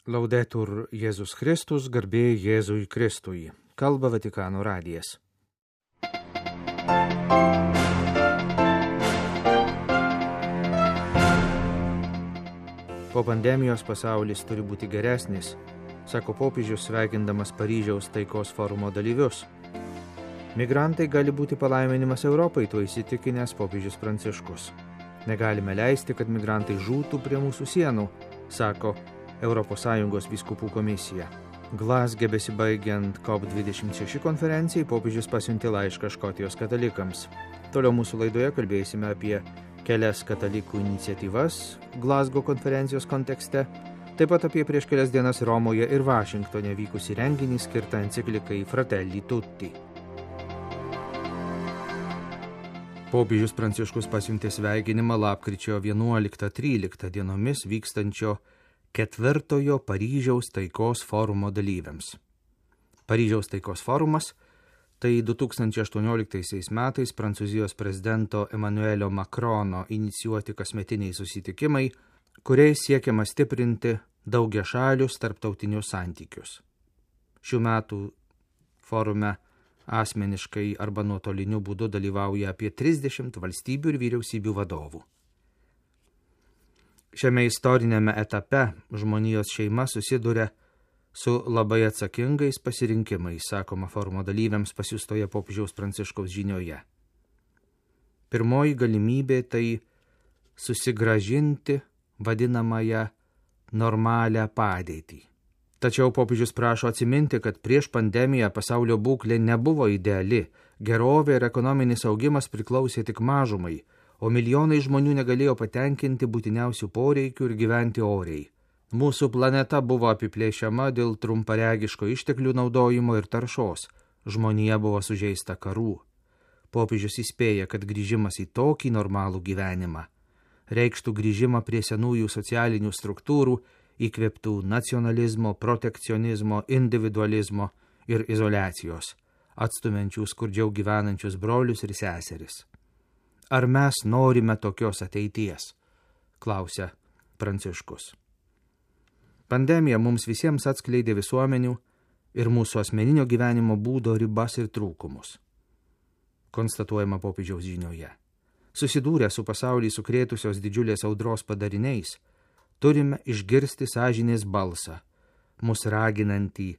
Laudetur Jėzus Kristus, garbė Jėzui Kristui. Kalba Vatikano radijas. Po pandemijos pasaulis turi būti geresnis, sako popiežius sveikindamas Paryžiaus taikos forumo dalyvius. Migrantai gali būti palaiminimas Europai, tuo įsitikinęs popiežius Pranciškus. Negalime leisti, kad migrantai žūtų prie mūsų sienų, sako ES vyskupų komisija. Glazge besibaigiant COP26 konferencijai popiežius pasiuntė laišką Škotijos katalikams. Toliau mūsų laidoje kalbėsime apie kelias katalikų iniciatyvas Glazgo konferencijos kontekste, taip pat apie prieš kelias dienas Romoje ir Vašingtone vykusį renginį skirtą enciklikai Fratelli Tutti. Popiežius Pranciškus pasiuntė sveikinimą lapkričio 11-13 dienomis vykstančio 4 Paryžiaus taikos forumo dalyviams. Paryžiaus taikos forumas – tai 2018 metais Prancūzijos prezidento Emmanuelio Macrono inicijuoti kasmetiniai susitikimai, kuriais siekiama stiprinti daugiašalius tarptautinius santykius. Šių metų forume asmeniškai arba nuotoliniu būdu dalyvauja apie 30 valstybių ir vyriausybių vadovų. Šiame istorinėme etape žmonijos šeima susiduria su labai atsakingais pasirinkimais, sakoma forumo dalyviams pasiųstoje popiežiaus Pranciškaus žinioje. Pirmoji galimybė tai susigrąžinti vadinamąją normalią padėtį. Tačiau popiežius prašo atsiminti, kad prieš pandemiją pasaulio būklė nebuvo ideali, gerovė ir ekonominis augimas priklausė tik mažumai, o milijonai žmonių negalėjo patenkinti būtiniausių poreikių ir gyventi oriai. Mūsų planeta buvo apiplėšiama dėl trumparegiško išteklių naudojimo ir taršos. Žmonija buvo sužeista karų. Popiežius įspėja, kad grįžimas į tokį normalų gyvenimą reikštų grįžimą prie senųjų socialinių struktūrų, įkvėptų nacionalizmo, protekcionizmo, individualizmo ir izoliacijos, atstumiančių skurdžiau gyvenančius brolius ir seseris. Ar mes norime tokios ateities? Klausia Pranciškus. Pandemija mums visiems atskleidė visuomenių ir mūsų asmeninio gyvenimo būdo ribas ir trūkumus. Konstatuojama popiežiaus žinioje. Susidūrę su pasaulį sukrėtusios didžiulės audros padariniais, turime išgirsti sąžinės balsą, mus raginantį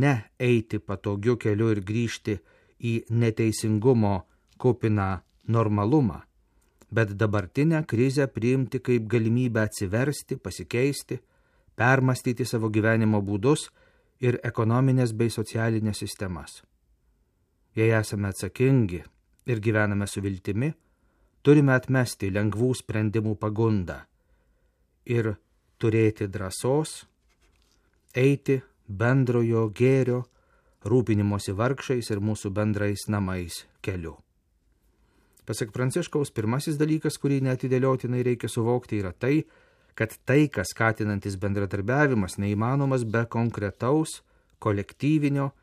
ne eiti patogiu keliu ir grįžti į neteisingumo kupiną normalumą, bet dabartinę krizę priimti kaip galimybę atsiversti, pasikeisti, permastyti savo gyvenimo būdus ir ekonominės bei socialinės sistemas. Jei esame atsakingi ir gyvename su viltimi, turime atmesti lengvų sprendimų pagundą ir turėti drąsos eiti bendrojo gėrio, rūpinimosi vargšais ir mūsų bendrais namais keliu. Pasak Pranciškaus, pirmasis dalykas, kurį neatidėliotinai reikia suvokti, yra tai, kad taiką skatinantis bendradarbiavimas neįmanomas be konkretaus, kolektyvinio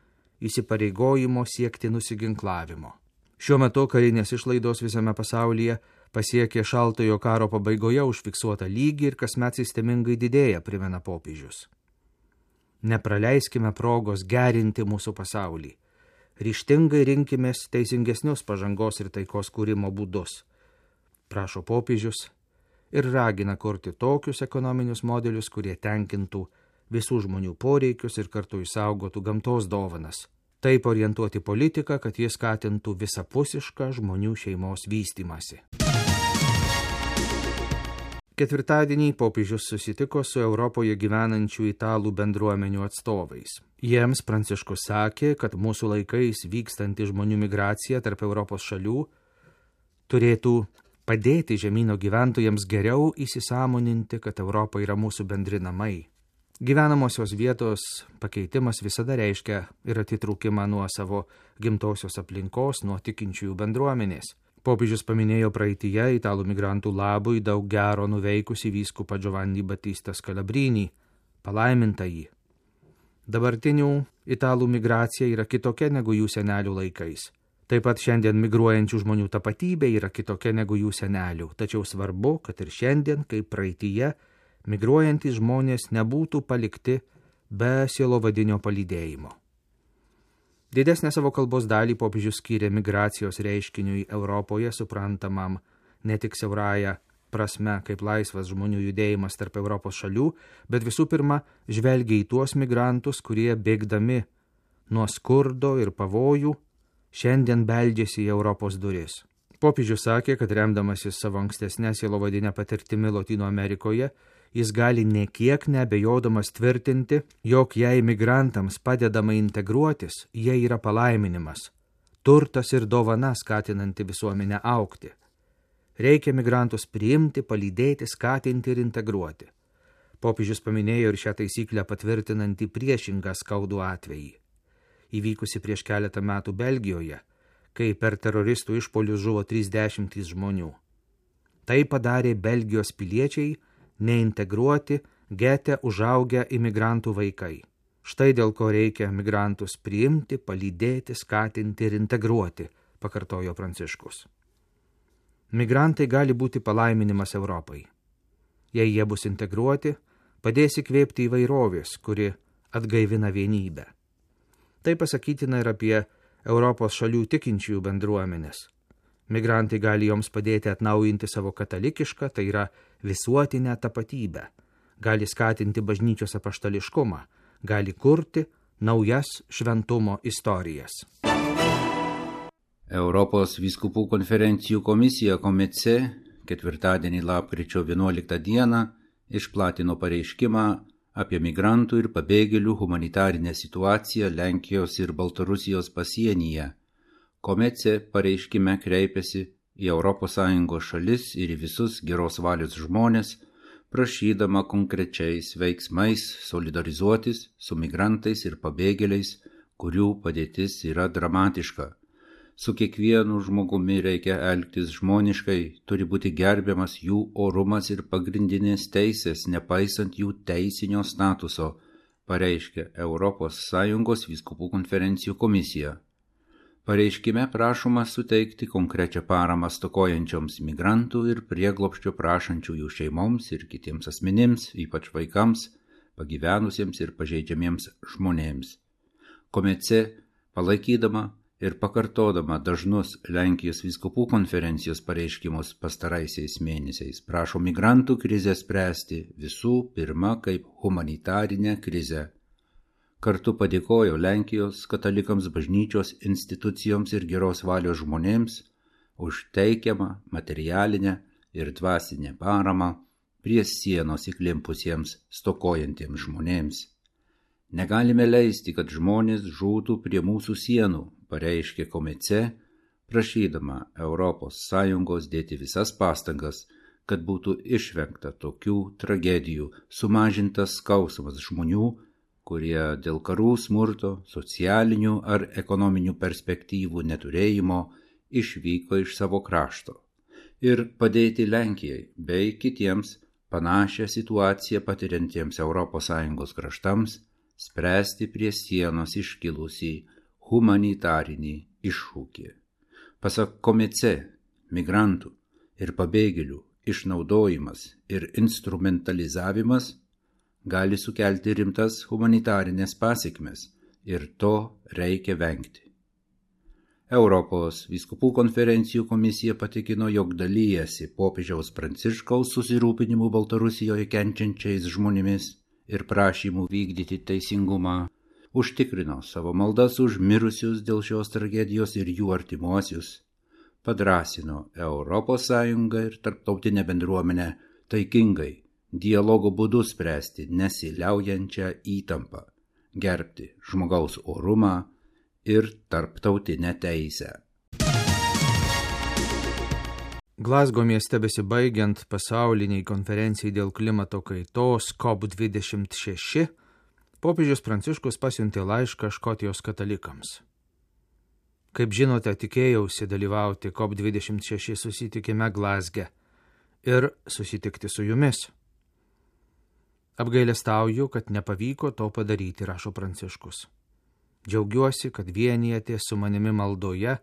įsipareigojimo siekti nusiginklavimo. Šiuo metu karinės išlaidos visame pasaulyje pasiekė šaltojo karo pabaigoje užfiksuotą lygį ir kasmet sistemingai didėja, primena popiežius. Nepraleiskime progos gerinti mūsų pasaulį. Ryžtingai rinkimės teisingesnius pažangos ir taikos kūrimo būdus, prašo popiežius ir ragina kurti tokius ekonominius modelius, kurie tenkintų visų žmonių poreikius ir kartu išsaugotų gamtos dovanas. Taip orientuoti politiką, kad jie skatintų visapusišką žmonių šeimos vystymąsi. Ketvirtadienį popiežius susitiko su Europoje gyvenančių italų bendruomenių atstovais. Jiems Pranciškus sakė, kad mūsų laikais vykstanti žmonių migracija tarp Europos šalių turėtų padėti žemyno gyventojams geriau įsisąmoninti, kad Europa yra mūsų bendri namai. Gyvenamosios vietos pakeitimas visada reiškia ir atitrūkimą nuo savo gimtosios aplinkos, nuo tikinčiųjų bendruomenės. Popiežius paminėjo praeityje italų migrantų labui daug gero nuveikusi vyskupą Giovanni Battista Scalabrini, palaimintąjį. Dabartinių italų migracija yra kitokia negu jų senelių laikais. Taip pat šiandien migruojančių žmonių tapatybė yra kitokia negu jų senelių, tačiau svarbu, kad ir šiandien, kaip praeityje, migruojantys žmonės nebūtų palikti be sielovadinio palydėjimo. Didesnę savo kalbos dalį popiežius skyrė migracijos reiškiniui Europoje, suprantamam ne tik siaurąją prasme kaip laisvas žmonių judėjimas tarp Europos šalių, bet visų pirma žvelgia į tuos migrantus, kurie bėgdami nuo skurdo ir pavojų šiandien beldžiasi į Europos duris. Popiežius sakė, kad remdamasis savo ankstesnę sielovadinę patirtimi Lotynų Amerikoje, jis gali niekiek neabejodamas tvirtinti, jog jei migrantams padedama integruotis, jie yra palaiminimas, turtas ir dovana skatinanti visuomenę augti. Reikia migrantus priimti, palydėti, skatinti ir integruoti. Popiežius paminėjo ir šią taisyklę patvirtinantį priešingą skaudų atvejį, įvykusi prieš keletą metų Belgijoje, kai per teroristų išpuolius žuvo 30 žmonių. Tai padarė Belgijos piliečiai, neintegruoti, gete užaugę imigrantų vaikai. Štai dėl ko reikia migrantus priimti, palydėti, skatinti ir integruoti, pakartojo Pranciškus. Migrantai gali būti palaiminimas Europai. Jei jie bus integruoti, padės įkvėpti įvairovės, kuri atgaivina vienybę. Tai pasakytina ir apie Europos šalių tikinčiųjų bendruomenės. Migrantai gali joms padėti atnaujinti savo katalikišką, tai yra visuotinę tapatybę, gali skatinti bažnyčios apaštališkumą, gali kurti naujas šventumo istorijas. Europos vyskupų konferencijų komisija Komece ketvirtadienį lapkričio 11 dieną išplatino pareiškimą apie migrantų ir pabėgėlių humanitarinę situaciją Lenkijos ir Baltarusijos pasienyje. Komece pareiškime kreipėsi į ES šalis ir į visus geros valios žmonės, prašydama konkrečiais veiksmais solidarizuotis su migrantais ir pabėgėliais, kurių padėtis yra dramatiška. Su kiekvienu žmogumi reikia elgtis žmoniškai, turi būti gerbiamas jų orumas ir pagrindinės teisės, nepaisant jų teisinio statuso, pareiškė ES vyskupų konferencijų komisija. Pareiškime prašoma suteikti konkrečią paramą stokojančioms migrantų ir prieglobsčio prašančiųjų šeimoms ir kitiems asmenims, ypač vaikams, pagyvenusiems ir pažeidžiamiems žmonėms. Komece, palaikydama ir pakartodama dažnus Lenkijos vyskupų konferencijos pareiškimus pastaraisiais mėnesiais, prašo migrantų krizę spręsti visų pirma kaip humanitarinę krizę. Kartu padėkojo Lenkijos katalikams, bažnyčios institucijoms ir geros valios žmonėms už teikiamą materialinę ir dvasinę paramą prie sienos įklimpusiems stokojantiems žmonėms. Negalime leisti, kad žmonės žūtų prie mūsų sienų, pareiškė Komece, prašydama ES dėti visas pastangas, kad būtų išvengta tokių tragedijų, sumažintas skausmas žmonių, kurie dėl karų, smurto, socialinių ar ekonominių perspektyvų neturėjimo išvyko iš savo krašto, ir padėti Lenkijai bei kitiems panašią situaciją patiriantiems ES kraštams spręsti prie sienos iškilusį humanitarinį iššūkį. Pasak Komece, migrantų ir pabėgėlių išnaudojimas ir instrumentalizavimas gali sukelti rimtas humanitarinės pasekmes ir to reikia vengti. Europos vyskupų konferencijų komisija patikino, jog dalyjasi popiežiaus Pranciškaus susirūpinimu Baltarusijoje kenčiančiais žmonėmis ir prašymų vykdyti teisingumą, užtikrino savo maldas už mirusius dėl šios tragedijos ir jų artimuosius, padrąsino ES ir tarptautinę bendruomenę taikingai, dialogo būdu spręsti nesiliaujančią įtampą, gerbti žmogaus orumą ir tarptautinę teisę. Glazgo mieste besibaigiant pasauliniai konferencijai dėl klimato kaitos COP26, popiežius Pranciškus pasiuntė laišką Škotijos katalikams. Kaip žinote, tikėjausi dalyvauti COP26 susitikime Glazge ir susitikti su jumis. Apgailestauju, kad nepavyko to padaryti, rašo Pranciškus. Džiaugiuosi, kad vienijate su manimi maldoje,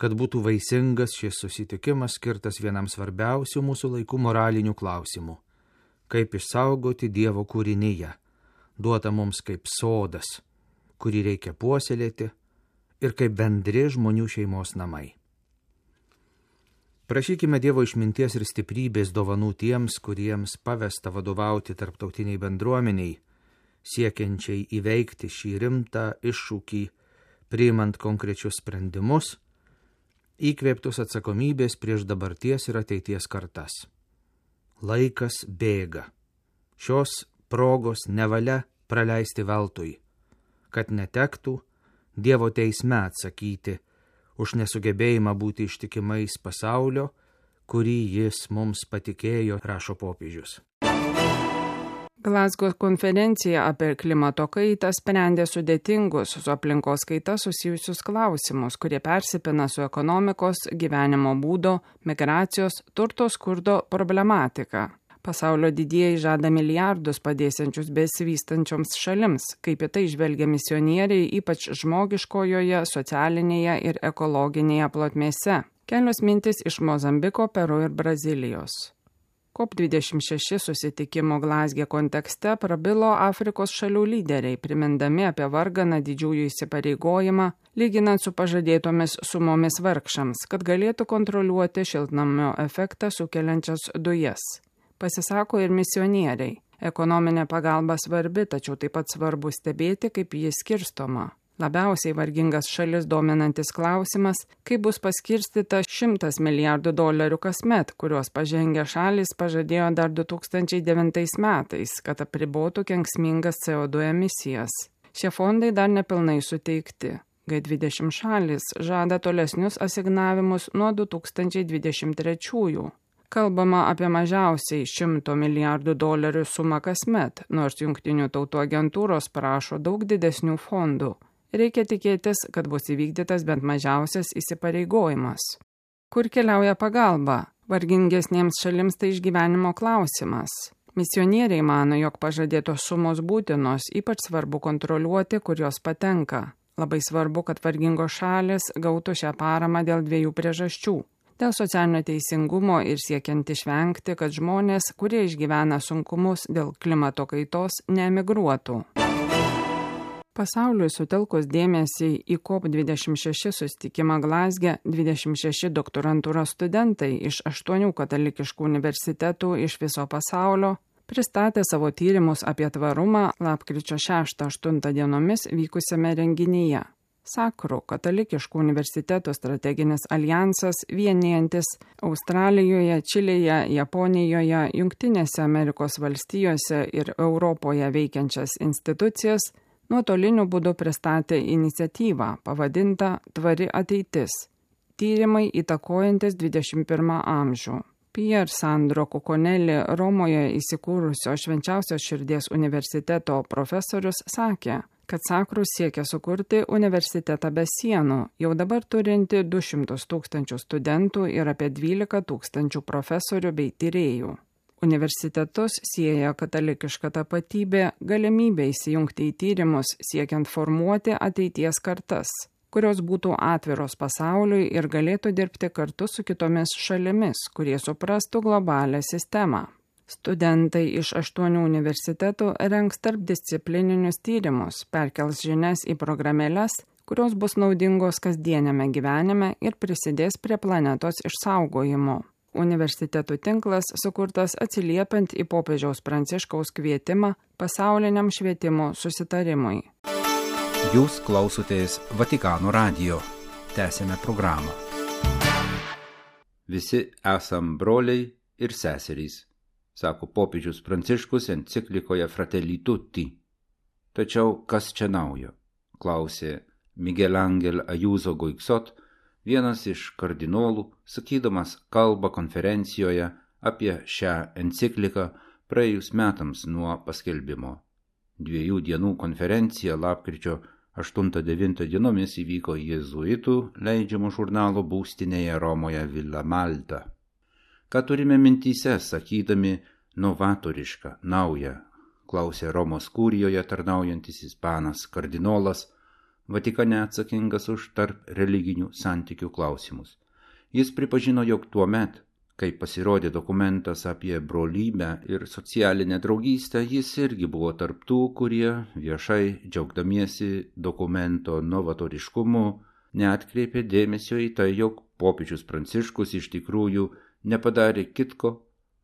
kad būtų vaisingas šis susitikimas skirtas vienam svarbiausių mūsų laikų moralinių klausimų kaip išsaugoti Dievo kūrinyje, duota mums kaip sodas, kurį reikia puoselėti ir kaip bendri žmonių šeimos namai. Prašykime Dievo išminties ir stiprybės dovanų tiems, kuriems pavesta vadovauti tarptautiniai bendruomeniai, siekiančiai įveikti šį rimtą iššūkį, priimant konkrečius sprendimus, įkvėptus atsakomybės prieš dabarties ir ateities kartas. Laikas bėga. Šios progos nevalia praleisti veltui, kad netektų Dievo teisme atsakyti už nesugebėjimą būti ištikimais pasaulio, kurį jis mums patikėjo, rašo popiežius. Glasgow konferencija apie klimato kaitą sprendė sudėtingus su aplinkos kaita susijusius klausimus, kurie persipina su ekonomikos, gyvenimo būdo, migracijos, turto skurdo problematika. Pasaulio didieji žada milijardus padėsiančius besivystančioms šalims, kaip į tai žvelgia misionieriai, ypač žmogiškojoje, socialinėje ir ekologinėje plotmėse. Kelios mintis iš Mozambiko, Peru ir Brazilijos. COP26 susitikimo Glazge kontekste prabilo Afrikos šalių lyderiai, primindami apie varganą didžiųjų įsipareigojimą, lyginant su pažadėtomis sumomis vargšams, kad galėtų kontroliuoti šiltnamio efektą sukeliančias dujas. Pasisako ir misionieriai. Ekonominė pagalba svarbi, tačiau taip pat svarbu stebėti, kaip jis skirstoma. Labiausiai vargingas šalis dominantis klausimas, kaip bus paskirstyta $100 milijardų kasmet, kuriuos pažengę šalys pažadėjo dar 2009 metais, kad apribotų kenksmingas CO2 emisijas. Šie fondai dar nepilnai suteikti. G20 šalis žada tolesnius asignavimus nuo 2023. Kalbama apie mažiausiai $100 milijardų sumą kasmet, nors Jungtinių tautų agentūros prašo daug didesnių fondų. Reikia tikėtis, kad bus įvykdytas bent mažiausias įsipareigojimas. Kur keliauja pagalba? Vargingesniems šalims tai išgyvenimo klausimas. Misionieriai mano, jog pažadėtos sumos būtinos, ypač svarbu kontroliuoti, kur jos patenka. Labai svarbu, kad vargingos šalis gautų šią paramą dėl 2 priežasčių. Dėl socialinio teisingumo ir siekiant išvengti, kad žmonės, kurie išgyvena sunkumus dėl klimato kaitos, neemigruotų. Pasauliui sutelkus dėmesį į COP26 susitikimą Glazge, 26 doktorantūros studentai iš 8 katalikiškų universitetų iš viso pasaulio pristatė savo tyrimus apie tvarumą lapkričio 6-8 dienomis vykusiame renginyje. Sakru, katalikiškų universitetų strateginis alijansas vienijantis Australijoje, Čilėje, Japonijoje, Jungtinėse Amerikos valstijose ir Europoje veikiančias institucijas nuotoliniu būdu pristatė iniciatyvą pavadintą Tvari ateitis – tyrimai įtakojantis 21 amžių. Pier Sandro Cuconelli, Romoje įsikūrusio Švenčiausios širdies universiteto profesorius, sakė, kad Sakrus siekia sukurti universitetą be sienų, jau dabar turinti 200 000 studentų ir apie 12 000 profesorių bei tyrėjų. Universitetus sieja katalikiška tapatybė, galimybė įsijungti į tyrimus, siekiant formuoti ateities kartas, kurios būtų atviros pasauliui ir galėtų dirbti kartu su kitomis šalimis, kurie suprastų globalią sistemą. Studentai iš 8 universitetų rengs tarpdisciplininius tyrimus, perkels žinias į programėles, kurios bus naudingos kasdieniame gyvenime ir prisidės prie planetos išsaugojimo. Universitetų tinklas sukurtas atsiliepiant į popiežiaus Pranciškaus kvietimą pasauliniam švietimo susitarimui. Jūs klausotės Vatikano radijo. Tęsėme programą. Visi esam broliai ir seserys, sako popiežius Pranciškus enciklikoje Fratelli Tutti. Tačiau kas čia naujo? Klausė Miguel Ángel Ayuso Guixot, vienas iš kardinolų, sakydamas kalbą konferencijoje apie šią encikliką praėjus metams nuo paskelbimo. 2 dienų konferencija lapkričio 8-9 dienomis įvyko jėzuitų leidžiamų žurnalo būstinėje Romoje Villa Malta. Ką turime mintyse, sakydami novatorišką, naują, klausė Romos kurijoje tarnaujantis ispanas kardinolas, Vatikane atsakingas už tarp religinių santykių klausimus. Jis pripažino, jog tuomet, Kai pasirodė dokumentas apie brolybę ir socialinę draugystę, jis irgi buvo tarptų, kurie viešai džiaugdamiesi dokumento novatoriškumu neatkreipė dėmesio į tai, jog popiežius Pranciškus iš tikrųjų nepadarė kitko,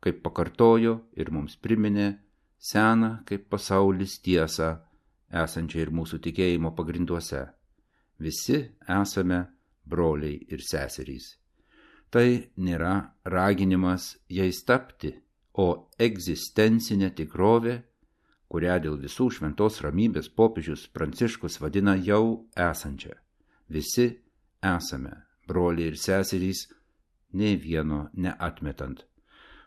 kaip pakartojo ir mums priminė seną kaip pasaulis tiesą, esančią ir mūsų tikėjimo pagrinduose. Visi esame broliai ir seserys. Tai nėra raginimas jais tapti, o egzistencinė tikrovė, kurią dėl visų šventos ramybės popiežius Pranciškus vadina jau esančia. Visi esame broliai ir seserys, nei vieno neatmetant.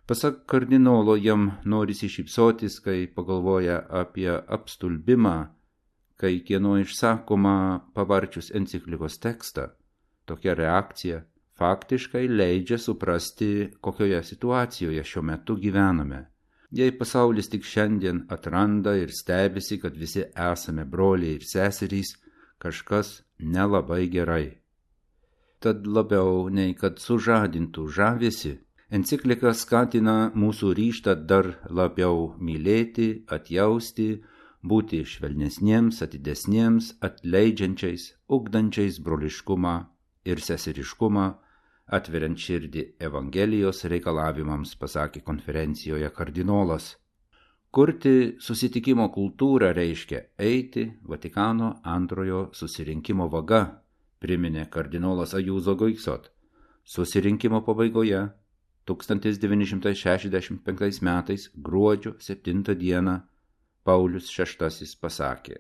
Pasak kardinolo, jam norisi šypsotis, kai pagalvoja apie apstulbimą, kai kieno išsakoma pavarčius enciklikos tekstą. Tokia reakcija faktiškai leidžia suprasti, kokioje situacijoje šiuo metu gyvename. Jei pasaulis tik šiandien atranda ir stebisi, kad visi esame broliai ir seserys, kažkas nelabai gerai. Tad labiau nei kad sužadintų žavesį, enciklika skatina mūsų ryžtą dar labiau mylėti, atjausti, būti švelnesniems, atidesniems, atleidžiančiais, ugdančiais broliškumą ir seseriškumą, atveriant širdį Evangelijos reikalavimams, pasakė konferencijoje kardinolas. Kurti susitikimo kultūrą reiškia eiti Vatikano antrojo susirinkimo vaga, priminė kardinolas Ayuso Guixot. Susirinkimo pabaigoje 1965 metais gruodžio 7 dieną Paulius VI pasakė: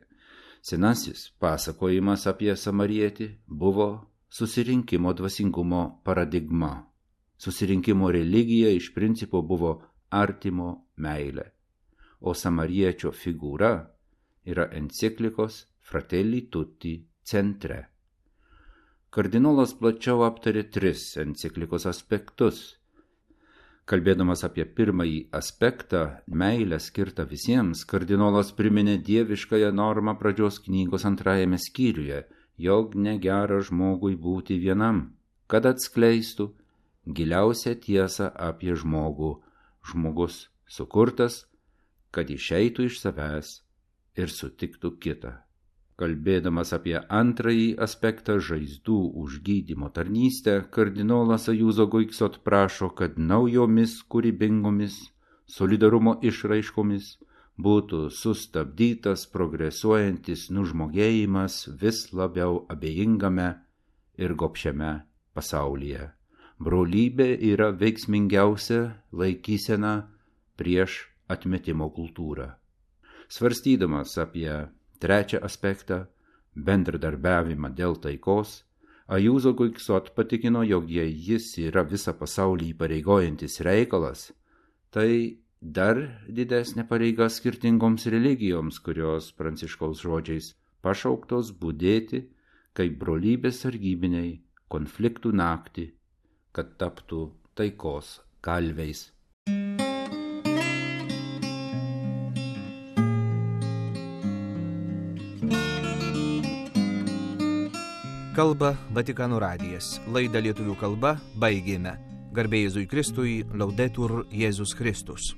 senasis pasakojimas apie samarietį buvo susirinkimo dvasingumo paradigma. Susirinkimo religija iš principo buvo artimo meilė, o samariečio figūra yra enciklikos Fratelli Tutti centre. Kardinolas plačiau aptarė 3 enciklikos aspektus. Kalbėdamas apie pirmąjį aspektą, meilę skirtą visiems, kardinolas priminė dieviškąją normą pradžios knygos 2 skyriuje, jog negera žmogui būti vienam, kad atskleistų giliausią tiesą apie žmogų. Žmogus sukurtas, kad išeitų iš savęs ir sutiktų kitą. Kalbėdamas apie antrąjį aspektą, žaizdų užgydymo tarnystę, kardinolas Ayuso Guixot prašo, kad naujomis kūrybingomis solidarumo išraiškomis būtų sustabdytas progresuojantis nužmogėjimas vis labiau abejingame ir gobšiame pasaulyje. Brolybė yra veiksmingiausia laikysena prieš atmetimo kultūrą. Svarstydamas apie 3 aspektą, bendradarbiavimą dėl taikos, Ayuso Guixot patikino, jog jei jis yra visą pasaulį įpareigojantis reikalas, tai dar didesnė pareiga skirtingoms religijoms, kurios Pranciškaus žodžiais pašauktos budėti kaip brolybės sargybiniai konfliktų naktį, kad taptų taikos kalviais. Kalba Vatikano radijas. Laidą lietuvių kalba baigėme. Garbė Jėzui Kristui, Laudetur Jėzus Kristus.